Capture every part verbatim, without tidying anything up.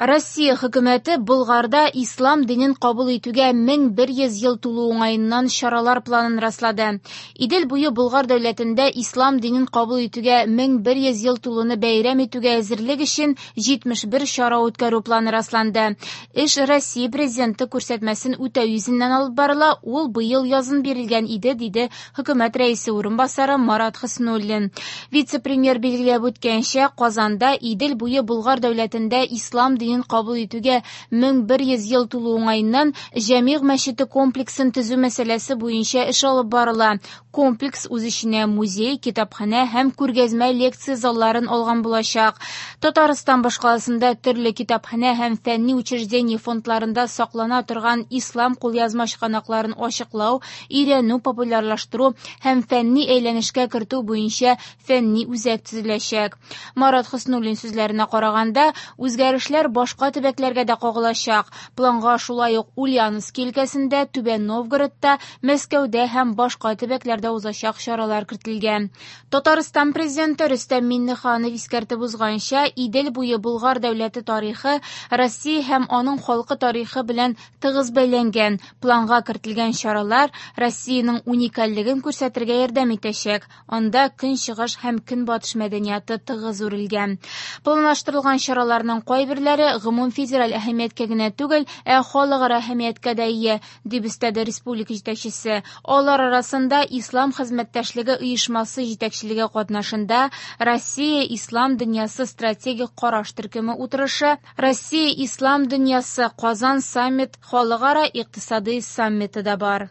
Россия хөкүмәте Болгарда ислам динен кабул итүгә мең бер йөз ел тулу уңаеннан чаралар планын раслады. Идел буе Болгар дәүләтендә ислам динен кабул итүгә мең бер йөз ел тулуны бәйрәм итүгә әзерлек өчен җитмеш бер чара үткәрү планы расланды. Эш Россия президенты күрсәтмәсен үтәү йөзеннән алып барыла, ул быел язын бирелгән иде, диде хөкүмәт рәисе урынбасары Марат Хөснуллин. Вице-премьер билгеләп үткәнчә, Казанда Идел буе Болгар дәүләтендә ислам динен кабул итүгә мең бер йөз ел тулу уңаеннан Җәмигъ мәчете комплексын төзү мәсьәләсе буенча эш алып барыла. Комплекс үз эченә музей, китапханә һәм күргәзмә лекция залларын алган булачак. Татарстан башкаласында төрле китапханә һәм фәнни учреждение фондларында саклана торган ислам кулъязма чыганакларын ачыклау, өйрәнү, популярлаштыру һәм фәнни әйләнешкә кертү буенча фәнни үзәк төзеләчәк. Марат Хөснуллин сүзләренә караганда, үзгәрешләр башка төбәкләргә дә кагылачак. Планга шулай ук Ульяновск өлкәсендә, Түбән Новгородта, Мәскәүдә һәм башка төбәкләрдә узачак чаралар кертелгән. Татарстан президенты Рөстәм Миңнеханов искәртеп узганча, Идел буе Болгар дәүләте тарихы Россия һәм аның халкы тарихы белән тыгыз бәйләнгән. Планга кертелгән чаралар Россиянең уникальлеген күрсәтергә ярдәм итәчәк. Анда көнчыгыш һәм көнбатыш мәдәнияты тыгыз үрелгән. Планлаштырылган чараларның кайберләре гомум федераль әһәмияткә генә түгел, ә халыкара әһәмияткә дә ия, дип өстәде республика җитәкчесе. Алар арасында Ислам хезмәттәшлеге оешмасы җитәкчелеге катнашында Россия Ислам дөньясы стратегик караш төркеме утырышы, Россия Ислам дөньясы Казан саммит халыкара икътисади саммиты да бар.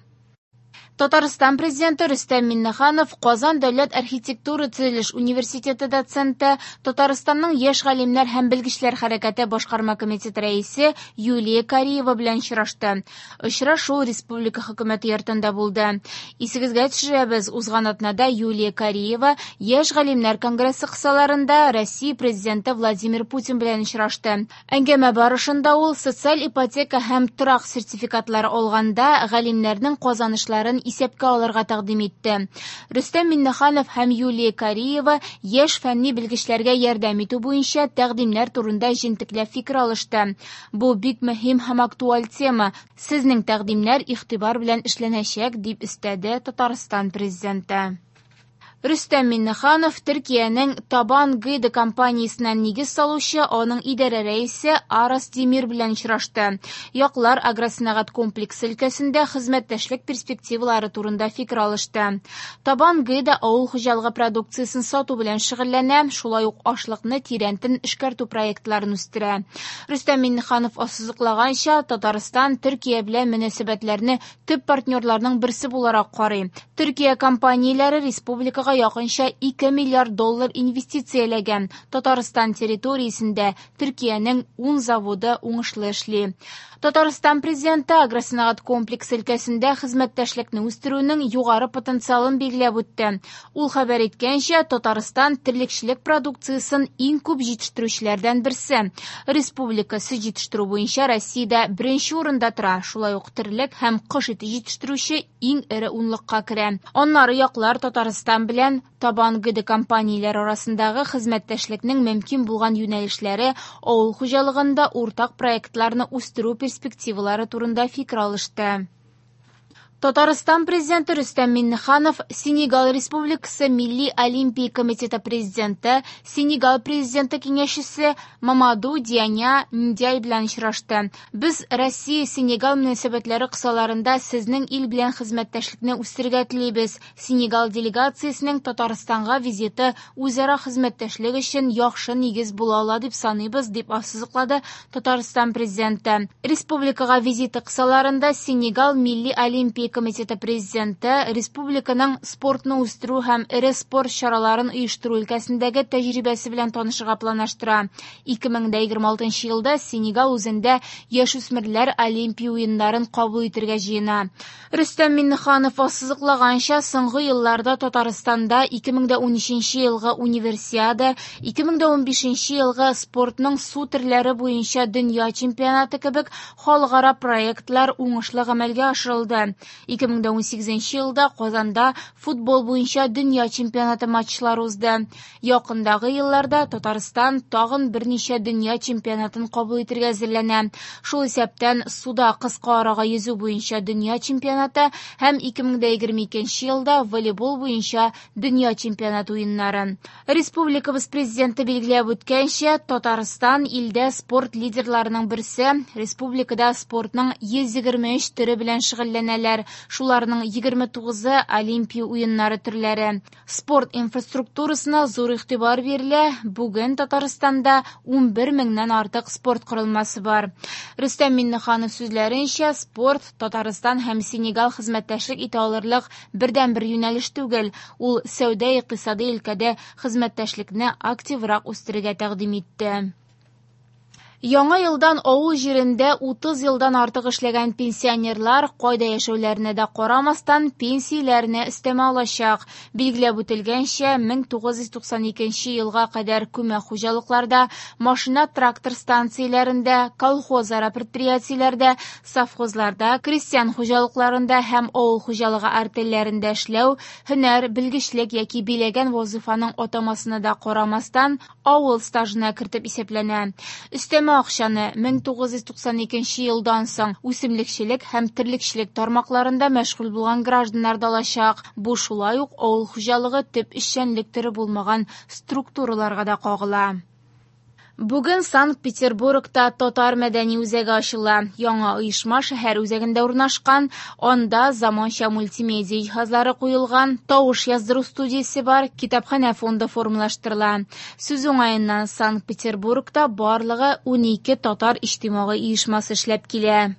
Татарстан президенты Рөстәм Миңнеханов Казан дәүләт архитектура төзелеш университеты доценты, Татарстанның яшь галимнәр һәм белгечләр хәрәкәте башкарма комитеты рәисе Юлия Кариева белән очрашты. Очрашу республика хөкүмәте йортында булды. Исегезгә төшерәбез, узган атнада Юлия Кариева яшь галимнәр конгрессы кысаларында Россия президенты Владимир Путин белән очрашты. Әңгәмә барышында ул социаль ипотека һәм торак сертификатлары алганда галимнәрнең казанышларын исәпкә алырга тәкъдим итте. Рөстәм Миңнеханов һәм Юлия Кариева яшь фәнни белгечләргә ярдәм итү буенча тәкъдимнәр турында җентекләп фикер алышты. Бу бик мөһим һәм актуаль тема. Сезнең тәкъдимнәр игътибар белән эшләнәчәк, дип өстәде Татарстан президенты. Рөстәм Миңнеханов Төркиянең Табан Гыда компаниясенә нигез салучы аның идарә рәисе Арас Демир белән очрашты. Яклар агросәнәгать комплексы өлкәсендә хезмәттәшлек перспективалары турында фикер алышты. Табан Гыда авыл хуҗалыгы продукциясен сату белән шөгыльләнә, шулай ук ашлыкны тирәнтен эшкәртү проектларын үстерә. Рөстәм Миңнеханов ассызыклаганча, Татарстан Төркия белән мөнәсәбәтләрне төп партнерларның берсе буларак карый. Төркия компанияләре республикага якынча ике миллиард доллар инвестицияләгән. Татарстан территориясендә Төркиянең ун заводы уңышлы эшли. Татарстан президенты агросәнәгать комплексы өлкәсендә хезмәттәшлекне үстерүнең югары потенциалын билгеләп үтте. Ул хәбәр иткәнчә, Татарстан терлекчелек продукциясен иң күп җитештерүчеләрдән берсе. Республика сөт җитештерү буенча Россиядә беренче урында тора. Шулай ук терлек һәм кош ите җитештерүче иң эре унлыкка керә. Аннары яклар Татарстан белән Табан Гыда компанияләре арасындагы хезмәттәшлекнең мөмкин булган юнәлешләре, авыл хуҗалыгында уртак проектларны үстерү перспективалары турында фикер алышты. Татарстан президенты Рөстәм Миңнеханов Сенегал Республикасы Милли Олимпия комитеты президенты, Сенегал президенты киңәшчесе Мамаду Дианя Ндяй белән очрашты. Без Россия-Сенегал мөнәсәбәтләре кысаларында сезнең ил белән хезмәттәшлекне үстерергә телибез. Сенегал делегациясенең Татарстанга визиты үзара хезмәттәшлек өчен яхшы нигез була ала дип саныйбыз, дип ассызыклады Татарстан президенты. Республикага визиты кысаларында Сенегал Милли Олимпия комитеты президенты республиканың спортны үстерү һәм эре спорт чараларын оештыру өлкәсендәге тәҗрибәсе белән танышырга планлаштыра. Ике мең дә егерме алтынчы елда Сенегал үзендә яшүсмерләр Олимпия уеннарын кабул итәргә җыена. Рөстәм Миңнеханов ассызыклаганча, соңгы елларда Татарстанда ике мең дә унөченче елгы Универсиада, ике мең дә унбишенче елгы спортның су төрләре буенча дөнья чемпионаты кебек халыкара проектлар уңышлы гамәлгә ашырылды. ике мең дә унсигезенче елда Казанда футбол буенча дөнья чемпионаты матчлары узды. Якындагы елларда Татарстан тагын берничә дөнья чемпионатын кабул итәргә әзерләнә. Шул исәптән суда кыска арага йөзү буенча дөнья чемпионаты һәм ике мең дә егерме икенче елда волейбол буенча дөнья чемпионаты уеннары. Республикабыз президенты билгеләп үткәнчә, Татарстан илдә спорт лидерларының берсе. Республикада спортның йөз егерме өч төре белән шөгыльләнәләр. Шуларның егерме тугызы Олимпия уеннары төрләре. Спорт инфраструктурасына зур игътибар бирелә. Бүген Татарстанда унбер меңнән артык спорт корылмасы бар. Рөстәм Миңнеханов сүзләренчә, спорт Татарстан һәм Сенегал хезмәттәшлек итә алырлык бердәнбер юнәлеш түгел. Ул сәүдә-икътисади өлкәдә хезмәттәшлекне активрак үстерергә тәкъдим итте. Яңа елдан авыл җирендә утыз елдан артык эшләгән пенсионерлар кайда яшәүләренә дә карамастан пенсияләренә өстәмә алачак. Билгеләп үтелгәнчә, мең тугыз йөз туксан икенче елга кадәр күмәк хуҗалыкларда, машина-трактор станцияләрендә, колхозара предприятиеләрдә, совхозларда, крестьян хуҗалыкларында һәм авыл хуҗалыгы артельләрендә эшләү, һөнәр, белгечлек яки биләгән вазифаның атамасына да карамастан авыл стажына кертеп исәпләнә. Өстәмә акчаны мең тугыз йөз туксан икенче елдан соң үсемлекчелек һәм терлекчелек тармакларында мәшгуль булган гражданнар да алачак. Бу шулай ук авыл хуҗалыгы төп эшчәнлек төре булмаган структураларга да кагыла. Бүген Санкт-Петербургта Татар мәдәни үзәге ачыла. Яңа оешма шәһәр үзәгендә урнашкан. Анда заманча мультимедиа җиһазлары куелган, тавыш яздыру студиясе бар, китапханә фонды формалаштырыла. Сүз уңаеннан, Санкт-Петербургта барлыгы унике татар иҗтимагый оешмасы эшләп килә.